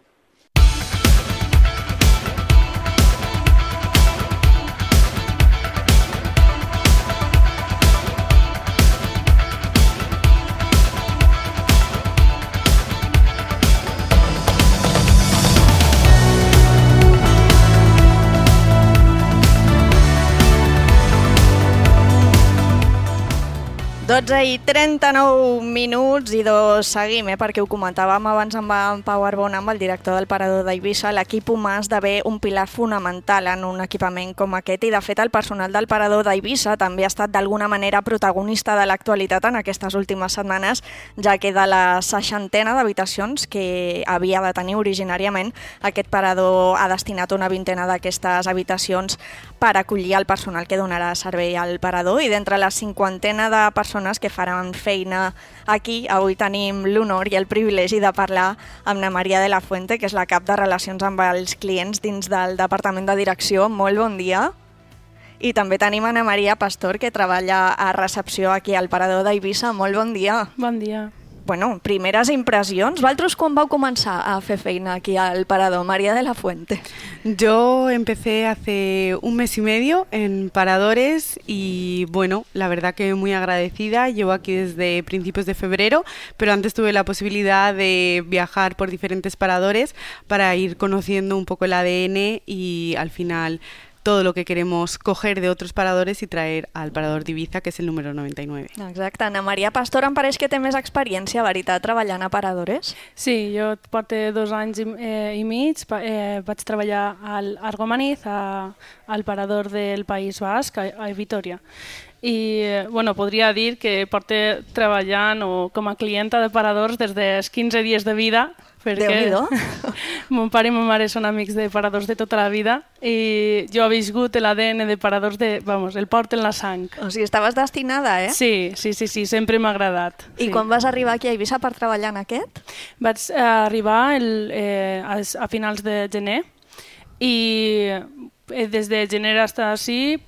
I 39 minuts i seguim, perquè ho comentàvem abans amb en Pau Arbona, amb el director del Parador d'Eivissa. L'equip humà esdevé un pilar fonamental en un equipament com aquest i, de fet, el personal del Parador d'Eivissa també ha estat d'alguna manera protagonista de l'actualitat en aquestes últimes setmanes, ja que de la 60ena d'habitacions que havia de tenir originàriament, aquest parador ha destinat una 20ena d'aquestes habitacions per acollir el personal que donarà servei al parador, i d'entre la 50ena de persones que faran feina aquí, avui tenim l'honor i el privilegi de parlar amb na Maria de la Fuente, que és la cap de Relacions amb els Clients dins del Departament de Direcció. Molt bon dia. I també tenim a na Maria Pastor, que treballa a recepció aquí al Parador d'Eivissa. Molt bon dia. Bon dia. Bueno, primeres impressions. Vosaltres quan vau començar a fer feina aquí al Parador, María de la Fuente? Yo empecé hace un mes y medio en Paradores y bueno, la verdad que muy agradecida. Llevo aquí desde principios de febrero, pero antes tuve la posibilidad de viajar por diferentes paradores para ir conociendo un poco el ADN y al final todo lo que queremos coger de otros paradores y traer al Parador d'Eivissa, que és el número 99. Exacte. Ana Maria Pastor em pareix que té més experiència, veritat, treballant a paradores? Sí, jo porto 2 anys i mig. Vaig treballar al Argomaniz, al Parador del País Basc, a Vitoria. I bueno, podria dir que porto treballant com a clienta de paradors des dels 15 dies de vida, perquè mon pare i ma mare són amics de paradors de tota la vida i jo he viscut l'ADN de paradors, el porto en la sang. O sigui, estaves destinada, eh? Sí, sempre m'ha agradat. I quan vas arribar aquí a Eivissa per treballar en aquest? Vaig arribar a finals de gener i des de gener fins així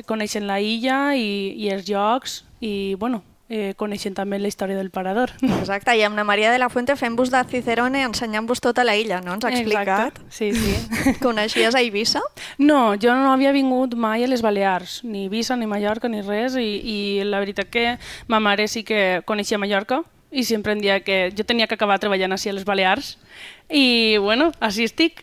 coneixen la illa i els llocs i bueno, coneixen també la història del parador. Exacte, i amb na Maria de la Fuente fent-vos de Cicerone, ensenyant-vos tota la illa, no? Ens ha explicat. Exacte, sí. Coneixies a Eivissa? No, jo no havia vingut mai a les Balears, ni Eivissa, ni Mallorca, ni res, i la veritat que ma mare sí que coneixia Mallorca i sempre em deia que jo tenia que acabar treballant així a les Balears i, bueno, així estic.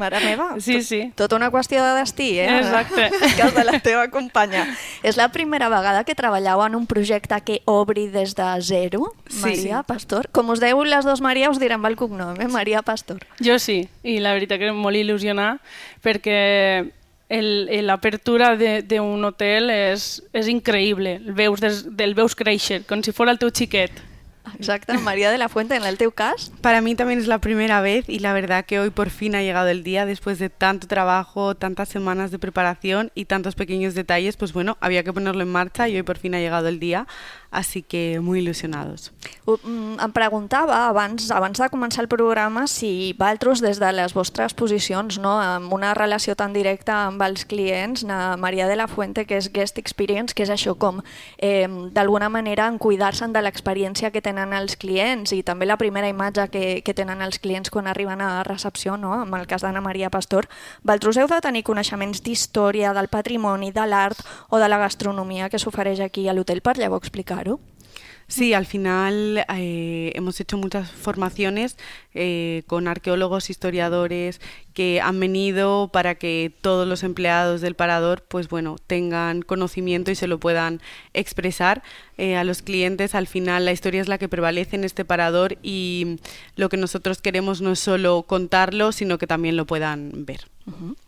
Mare meva, sí. Tota una qüestió de destí, eh? Exacte. Cas de la teva companya. És la primera vegada que treballeu en un projecte que obri des de zero, Maria Pastor. Com us dèieu les dues Maria, us direm el cognom, Maria Pastor. Jo sí, i la veritat que molt il·lusionada perquè l'apertura d'un hotel és increïble, el veus créixer, com si fos el teu xiquet. Exacto, María de la Fuente, en el teu cas. Para mí también es la primera vez y la verdad que hoy por fin ha llegado el día después de tanto trabajo, tantas semanas de preparación y tantos pequeños detalles, pues bueno, había que ponerlo en marcha y hoy por fin ha llegado el día, así que muy ilusionados. Em preguntava abans de començar el programa si vosaltres des de les vostres posicions, no, amb una relació tan directa amb els clients, na Maria de la Fuente, que és Guest Experience, que és això com d'alguna manera en cuidar-se'n de l'experiència que tenen els clients i també la primera imatge que tenen els clients quan arriben a recepció, no? En el cas d'Ana Maria Pastor, vosaltres heu de tenir coneixements d'història, del patrimoni, de l'art o de la gastronomia que s'ofereix aquí a l'hotel per llavors explicar-ho? Sí, al final hemos hecho muchas formaciones con arqueólogos, historiadores que han venido para que todos los empleados del parador pues bueno, tengan conocimiento y se lo puedan expresar a los clientes. Al final la historia es la que prevalece en este parador y lo que nosotros queremos no es solo contarlo, sino que también lo puedan ver.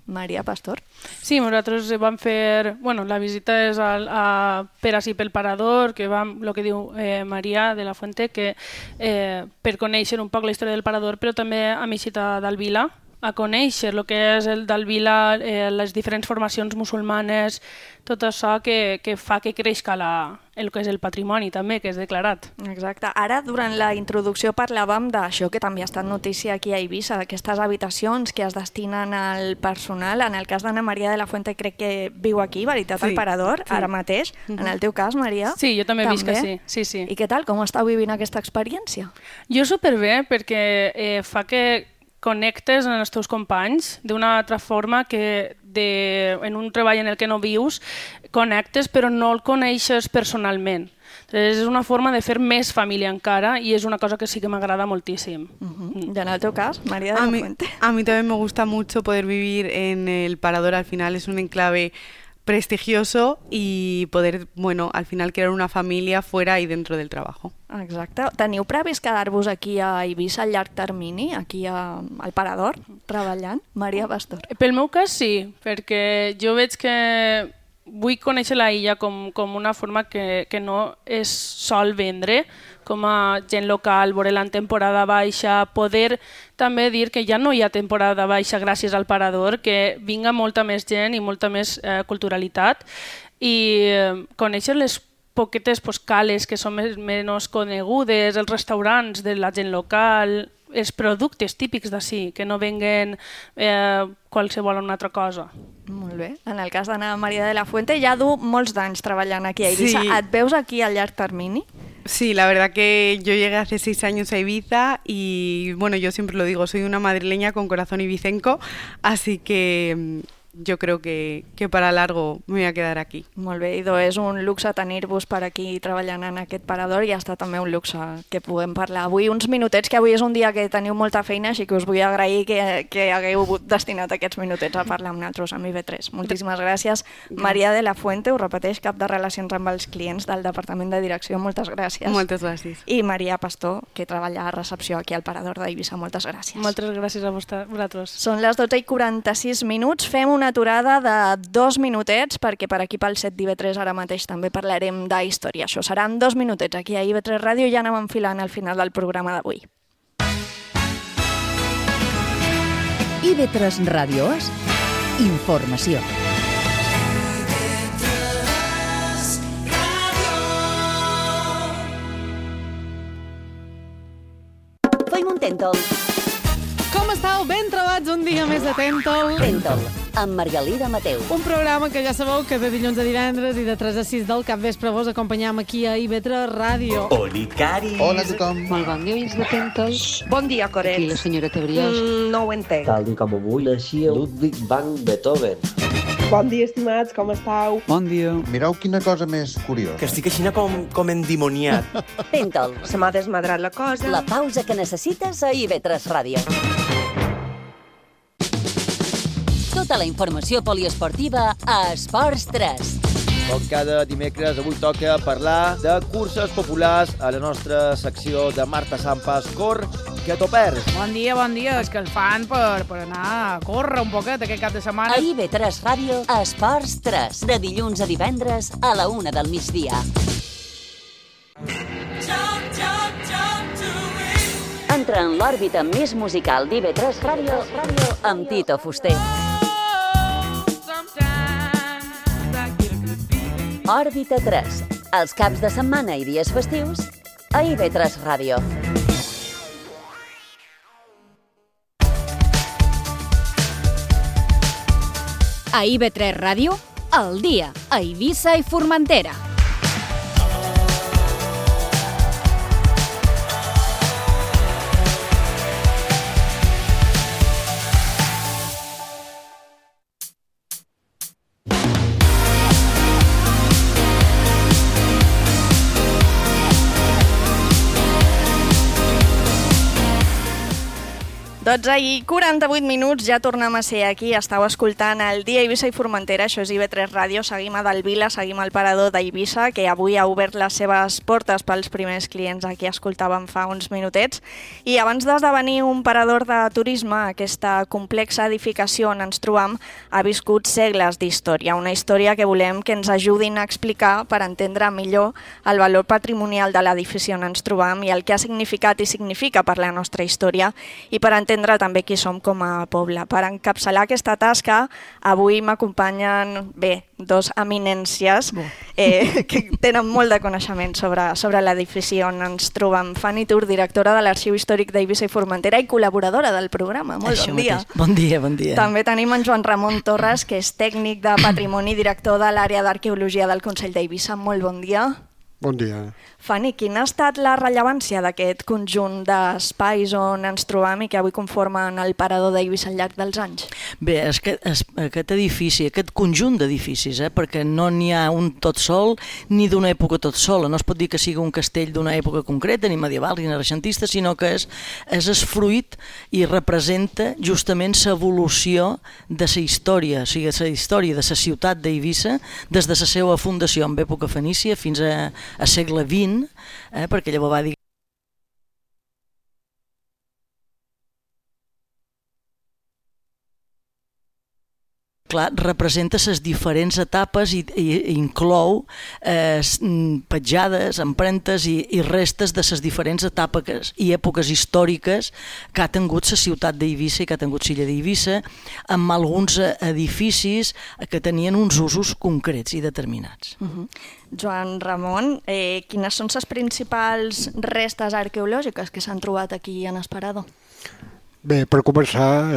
Maria Pastor. Sí, nosaltres vam fer... Bueno, la visita és per ací pel parador, que vam, el que diu Maria de la Fuente, que per conèixer un poc la història del parador, però també a Mixita d'Alvila, a conèixer el que és el d'Alvila, les diferents formacions musulmanes, tot això que fa que creixca el que és el patrimoni també, que és declarat. Exacte. Ara, durant la introducció, parlàvem d'això que també ha estat notícia aquí a Eivissa, d'aquestes habitacions que es destinen al personal. En el cas d'Anna Maria de la Fuente crec que viu aquí, veritat, al parador, ara mateix. En el teu cas, Maria? Sí, jo també visc que sí. I què tal? Com estàu vivint aquesta experiència? Jo superbé, perquè fa que connectes amb els teus companys d'una altra forma que en un treball en el que no vius connectes però no el coneixes personalment. És una forma de fer més família encara i és una cosa que sí que m'agrada moltíssim. ¿Y en el teu cas, María de la Fuente? A mí también me gusta mucho poder vivir en el parador. Al final es un enclave prestigioso y poder, bueno, al final crear una familia fuera y dentro del trabajo. Exacte. Teniu previst quedar-vos aquí a Eivissa a llarg termini, aquí al parador, treballant? Maria Pastor. Pel meu cas sí, perquè jo veig que vull conèixer la illa com una forma que no es sol vendre, com a gent local, veure-la en temporada baixa, poder també dir que ja no hi ha temporada baixa gràcies al parador, que vinga molta més gent i molta més culturalitat i conèixer les poquetes cales que són menys conegudes, els restaurants de la gent local, els productes típics d'ací, que no venguen qualsevol una altra cosa. Molt bé. En el cas d'Anna Maria de la Fuente ja du molts d'anys treballant aquí a Eivissa. Sí. Et veus aquí a llarg termini? Sí, la verdad que yo llegué hace 6 años a Ibiza y bueno, yo siempre lo digo, soy una madrileña con corazón ibicenco, así que jo crec que per a largo me voy a quedar aquí. Molt bé, idò, és un luxe tenir-vos per aquí treballant en aquest parador i ha estat també un luxe que puguem parlar avui uns minutets, que avui és un dia que teniu molta feina, així que us vull agrair que hagueu destinat aquests minutets a parlar amb nosaltres, amb IB3. Moltíssimes gràcies. Maria de la Fuente, ho repeteix, cap de Relacions amb els Clients del Departament de Direcció, moltes gràcies. Moltes gràcies. I Maria Pastor, que treballa a recepció aquí al parador d'Eivissa, moltes gràcies. Moltes gràcies a vosaltres. Són les 12:46, fem una aturada de 2 minutets, perquè per aquí pel set d'IV3 ara mateix també parlarem d'història. Això seran 2 minutets aquí a IV3 Ràdio i ja anem enfilant al final del programa d'avui. IV3 Ràdio és informació. Feim un tèntol. Com estàu? Ben trobats un dia més de Tèntol. Tèntol, amb Margalida Mateu. Un programa que ja sabeu que de dilluns a divendres i de 3 a 6 del capvespre vos acompanyam aquí a IV3 Ràdio. Olicari. Hola a tothom. Molt bon dia, oients de Tèntol. Bon dia, Coret. Aquí la senyora Tebriós. No ho entenc. Tal com avui naixia Ludwig van Beethoven. Bon dia, estimats, com estàu? Bon dia. Mireu quina cosa més curiosa. Que estic així com endimoniat. Tèntol. Se m'ha desmadrat la cosa. La pausa que necessites a IV3 Ràdio. Tota la informació poliesportiva a Esports 3. Com cada dimecres, avui toca parlar de curses populars a la nostra secció de Marta Sampas Cor, que t'ho perds. Bon dia, és que el fan per anar a córrer un poquet aquest cap de setmana. A IV3 Ràdio, Esports 3, de dilluns a divendres a la 1 del migdia. Entra en l'òrbita més musical d'IV3 Ràdio amb Tito Fuster. Òrbita 3, els caps de setmana i dies festius a IV3 Ràdio. A IV3 Ràdio, al dia, a Eivissa i Formentera. 12:48, ja tornem a ser aquí. Estàu escoltant el Dia Eivissa i Formentera, això és IB3 Ràdio. Seguim a Delvila, seguim al parador d'Eivissa, que avui ha obert les seves portes pels primers clients a qui escoltàvem fa uns minutets. I abans d'esdevenir un parador de turisme, aquesta complexa edificació on ens trobam ha viscut segles d'història. Una història que volem que ens ajudin a explicar per entendre millor el valor patrimonial de l'edifici on ens trobam i el que ha significat i significa per la nostra història i per entendre també qui som com a poble. Per encapçalar aquesta tasca, avui m'acompanyen, dos eminències que tenen molt de coneixement sobre l'edifici on ens trobem. Fanny Tur, directora de l'Arxiu Històric d'Eivissa i Formentera i col·laboradora del programa. Molt bon dia. Bon dia, bon dia. També tenim en Joan Ramon Torres, que és tècnic de patrimoni i director de l'àrea d'arqueologia del Consell d'Eivissa. Molt bon dia. Bon dia. Fanny, quina ha estat la rellevància d'aquest conjunt d'espais on ens trobam i que avui conformen el parador d'Eivissa al llarg dels anys? Bé, aquest edifici, aquest conjunt d'edificis, perquè no n'hi ha un tot sol ni d'una època tot sola. No es pot dir que sigui un castell d'una època concreta, ni medieval ni renaixentista, sinó que és fruit i representa justament l'evolució de la història, o sigui, la història de la ciutat d'Eivissa des de la seva fundació en època fenícia fins a segle XX, perquè llavors va dir clar, representa les diferents etapes i inclou petjades, empremtes i restes de les diferents etapes i èpoques històriques que ha tingut la ciutat d'Eivissa i que ha tingut l'illa d'Eivissa, amb alguns edificis que tenien uns usos concrets i determinats. Joan Ramon, quines són les principals restes arqueològiques que s'han trobat aquí en Esperado? Bé, per començar,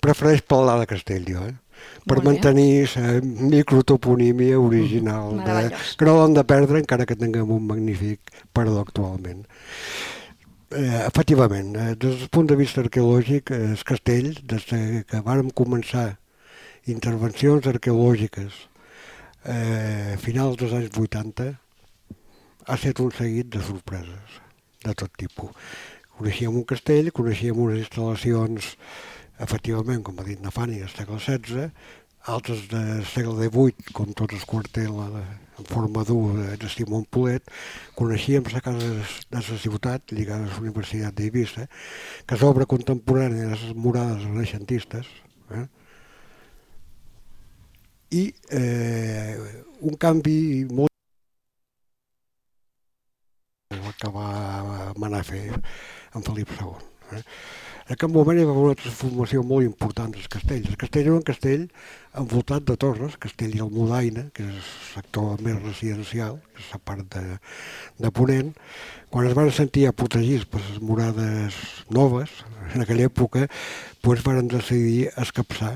prefereix parlar de castell, jo, per mantenir la microtoponímia original, que no l'hem de perdre encara que tinguem un magnífic parador actualment. Efectivament, des del punt de vista arqueològic, el castell, des que vàrem començar intervencions arqueològiques a finals dels anys 80, ha estat un seguit de sorpreses de tot tipus. Coneixíem un castell, coneixíem unes instal·lacions, efectivament, com ha dit na Fanny, del segle XVI, altres del segle XVIII, com tot el quartel en forma d'U de Simon Polet. Coneixíem la casa de la ciutat, lligada a la Universitat d'Eivissa, que és obra contemporània de les murades renaixentistes, i un canvi molt que va manar a fer en Felip II. En aquest moment hi va haver una transformació molt important dels castells. El castell era un castell envoltat de torres, Castell i Almudaina, que és el sector més residencial, que és la part de Ponent. Quan es van sentir protegits per les murades noves, en aquella època, doncs van decidir escapçar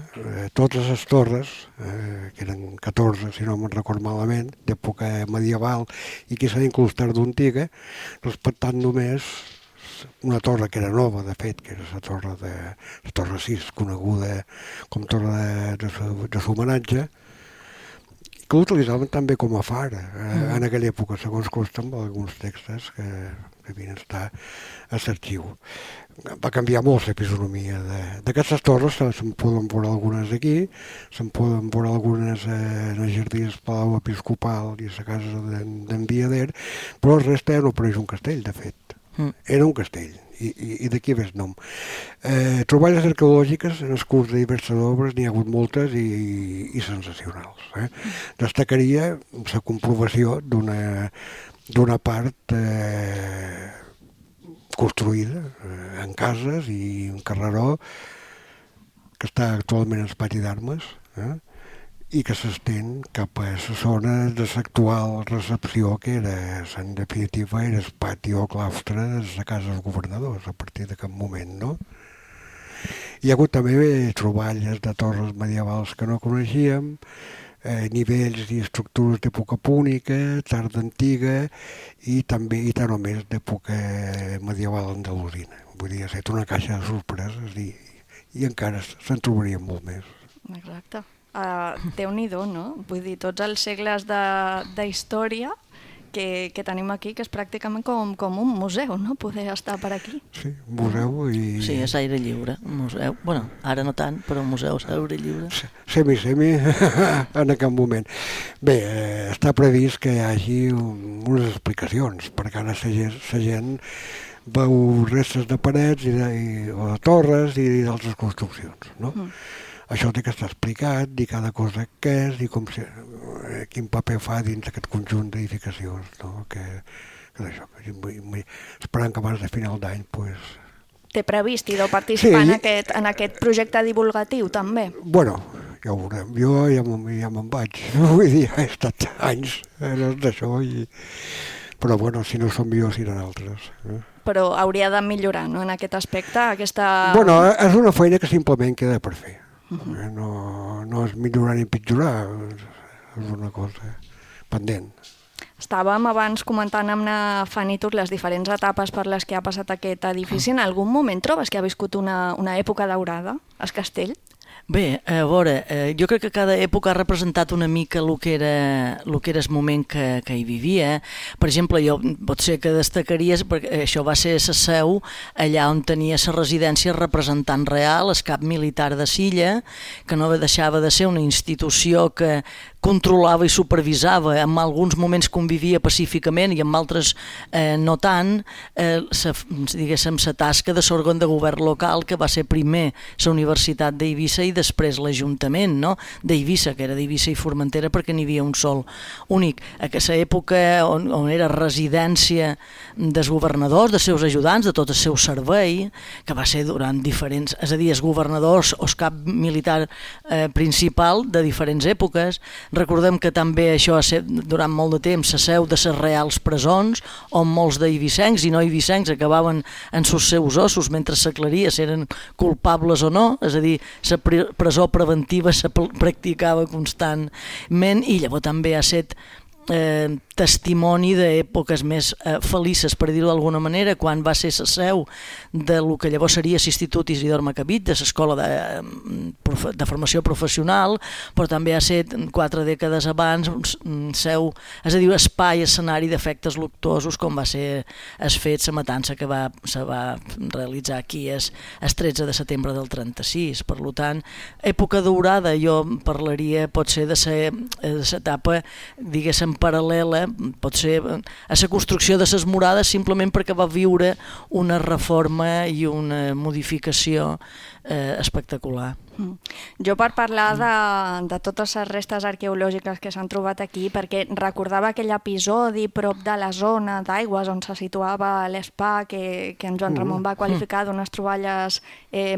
totes les torres, que eren 14, si no me'n record malament, d'època medieval i que s'han incrustat d'antiga, respectant només una torre que era nova, de fet, que era la torre 6, coneguda com torre de l'homenatge, que l'utilitzaven també com a far en aquella època, segons consta amb alguns textos que devien estar a l'arxiu. Va canviar molt la fisonomia d'aquestes torres, se'n poden veure algunes aquí, se'n poden veure algunes en el jardí del Palau Episcopal i a la casa d'en Viader, però el resta no pareix un castell, de fet. Era un castell, i d'aquí ve el nom. Troballes arqueològiques en el curs de diverses obres, n'hi ha hagut moltes i sensacionals. Destacaria la comprovació d'una part construïda en cases i un carreró que està actualment en el pati d'armes, i que s'estén cap a la zona de l'actual recepció, que era, en definitiva, era el pati o claustre de la casa dels governadors, a partir d'aquest moment, no? Hi ha hagut també troballes de torres medievals que no coneixíem, nivells i estructures d'època púnica, tarda antiga i també, i tant o més, d'època medieval andalusina. Vull dir, ha estat una caixa de sorpreses i encara se'n trobarien molt més. Exacte. Déu-n'hi-do, no? Vull dir, tots els segles de història que tenim aquí, que és pràcticament com un museu, no? Poder estar per aquí. Sí, un museu i... Sí, és aire lliure, un museu. Bueno, ara no tant, però un museu és aire lliure. Semi en aquest moment. Bé, està previst que hi hagi unes explicacions, perquè ara la gent veu restes de parets o de torres i d'altres construccions, no? Això té que estar explicat, dir cada cosa què és i quin paper fa dins d'aquest conjunt d'edificacions, no? Esperant que abans de final d'any, doncs... Té previst i deu participar en aquest projecte divulgatiu, també? Bueno, ja ho veurem. Jo ja me'n vaig. Vull dir, he estat anys d'això i... Però, bueno, si no són millors, seran altres. Però hauria de millorar, no?, en aquest aspecte, aquesta... Bueno, és una feina que simplement queda per fer. No és millorar ni pitjorar, és una cosa pendent. Estàvem abans comentant amb la Fanny Tur les diferents etapes per les que ha passat aquest edifici. En algun moment trobes que ha viscut una època daurada, el castell? Bé, a veure, jo crec que cada època ha representat una mica el que era el moment que hi vivia. Per exemple, jo potser que destacaries, perquè això va ser la seu allà on tenia la residència representant real, el cap militar de Silla, que no deixava de ser una institució que controlava i supervisava, en alguns moments convivia pacíficament i en altres no tant, diguéssim, la tasca de l'òrgan de govern local, que va ser primer la Universitat d'Eivissa i després l'Ajuntament, no?, d'Eivissa, que era d'Eivissa i Formentera, perquè n'hi havia un sol únic. A aquesta època on era residència dels governadors, dels seus ajudants, de tot el seu servei, que va ser durant diferents, és a dir, els governadors o el cap militar principal de diferents èpoques. Recordem que també això ha estat durant molt de temps la seu de les reals presons, on molts d'eivissencs i no eivissencs acabaven en els seus ossos mentre s'aclaria si eren culpables o no, és a dir, la presó preventiva se practicava constantment i llavors també ha estat testimoni d'èpoques més felices, per dir-ho d'alguna manera, quan va ser la seu del que llavors seria l'Institut Isidor Macabit, de l'escola de formació professional, però també ha estat 4 dècades abans seu, és a dir, espai, escenari d'efectes luctuosos, com va ser el fet la matança que se va realitzar aquí el 13 de setembre del 36. Per tant, època daurada, jo parlaria potser de l'etapa, diguéssim, paral·lela, pot ser a la construcció de les murades, simplement perquè va viure una reforma i una modificació espectacular. Jo, per parlar de totes les restes arqueològiques que s'han trobat aquí, perquè recordava aquell episodi prop de la zona d'aigües on se situava l'Espa, que en Joan Ramon va qualificar d'unes troballes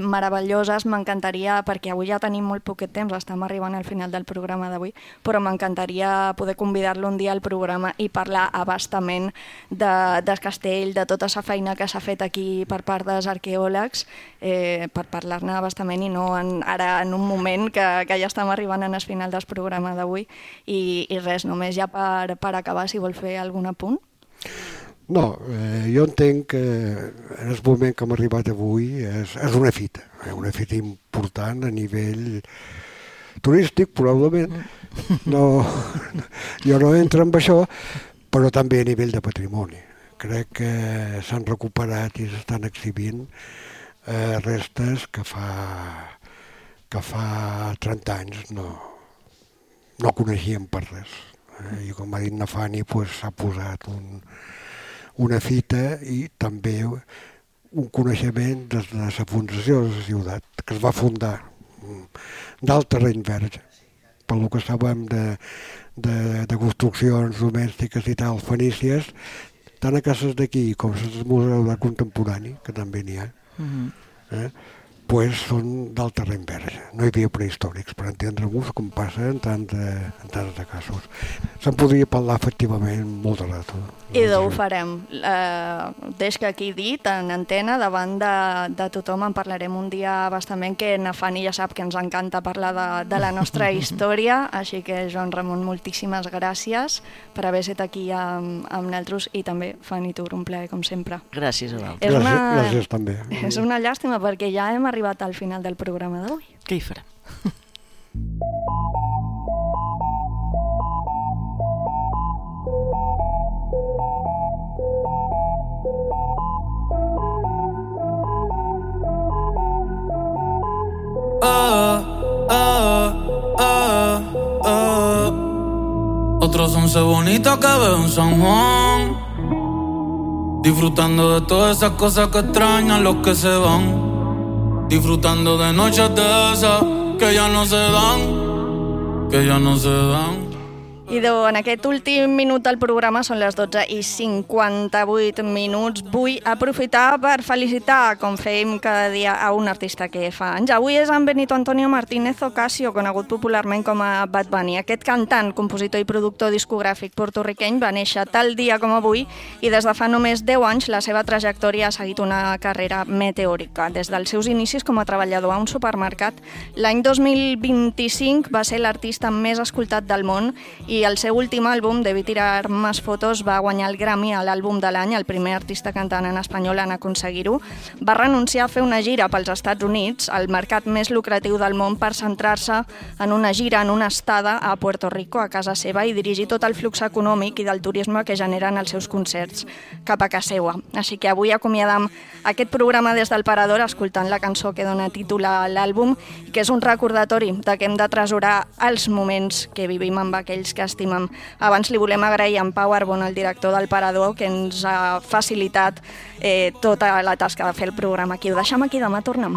meravelloses, m'encantaria, perquè avui ja tenim molt poquet temps, estem arribant al final del programa d'avui, però m'encantaria poder convidar-lo un dia al programa i parlar abastament del castell, de tota la feina que s'ha fet aquí per part dels arqueòlegs, per parlar-ne abastament i no ara en un moment que ja estem arribant al final del programa d'avui i res, només ja per acabar, si vol fer algun apunt. No, jo entenc que en el moment que hem arribat avui és una fita important a nivell turístic, probablement. Jo no entro en això, però també a nivell de patrimoni. Crec que s'han recuperat i s'estan exhibint restes que fa 30 anys no coneixíem per res. I com ha dit na Fanny, s'ha posat una fita i també un coneixement des de la fundació de la ciutat, que es va fundar d'alt terreny verge. Pel que sabem de construccions domèstiques i tal, fenícies, tant a cases d'aquí com al Museu d'Art Contemporani, que també n'hi ha, són d'alt terreny verge. No hi havia prehistòrics, per entendre-nos com passa en tants de casos. Se'n podria parlar efectivament molt de rato. I ho farem. Des que aquí dit, en antena, davant de tothom, en parlarem un dia bastament, que na Fanny ja sap que ens encanta parlar de la nostra història, així que, Joan Ramon, moltíssimes gràcies per haver estat aquí amb nosaltres i també, Fanny Tur, un plaer, com sempre. Gràcies a vosaltres. Gràcies també. És una llàstima, perquè ja hem arribat al final del programa d'avui. Què hi farem? Los 11 bonitas que veo en San Juan, disfrutando de todas esas cosas que extrañan los que se van, disfrutando de noches de esas que ja no se dan, que ja no se dan. Idò, en aquest últim minut del programa, són les 12:58 minuts. Vull aprofitar per felicitar, com fem cada dia, a un artista que fa anys. Avui és en Benito Antonio Martínez Ocasio, conegut popularment com a Bad Bunny. Aquest cantant, compositor i productor discogràfic porto-riqueny va néixer tal dia com avui i des de fa només 10 anys la seva trajectòria ha seguit una carrera meteòrica. Des dels seus inicis com a treballador a un supermercat, l'any 2025 va ser l'artista més escoltat del món i el seu últim àlbum, Debí tirar más fotos, va guanyar el Grammy a l'àlbum de l'any, el primer artista cantant en espanyol en aconseguir-ho. Va renunciar a fer una gira pels Estats Units, el mercat més lucratiu del món, per centrar-se en una gira, en una estada a Puerto Rico, a casa seva, i dirigir tot el flux econòmic i del turisme que generen els seus concerts cap a casa seva. Així que avui acomiadam aquest programa des del Parador escoltant la cançó que dona títol a l'àlbum, que és un recordatori de que hem d'atresorar els moments que vivim amb aquells que estimem. Abans li volem agrair a en Pau Arbon, el director del Parador, que ens ha facilitat tota la tasca de fer el programa aquí. Ho deixem aquí, demà tornem.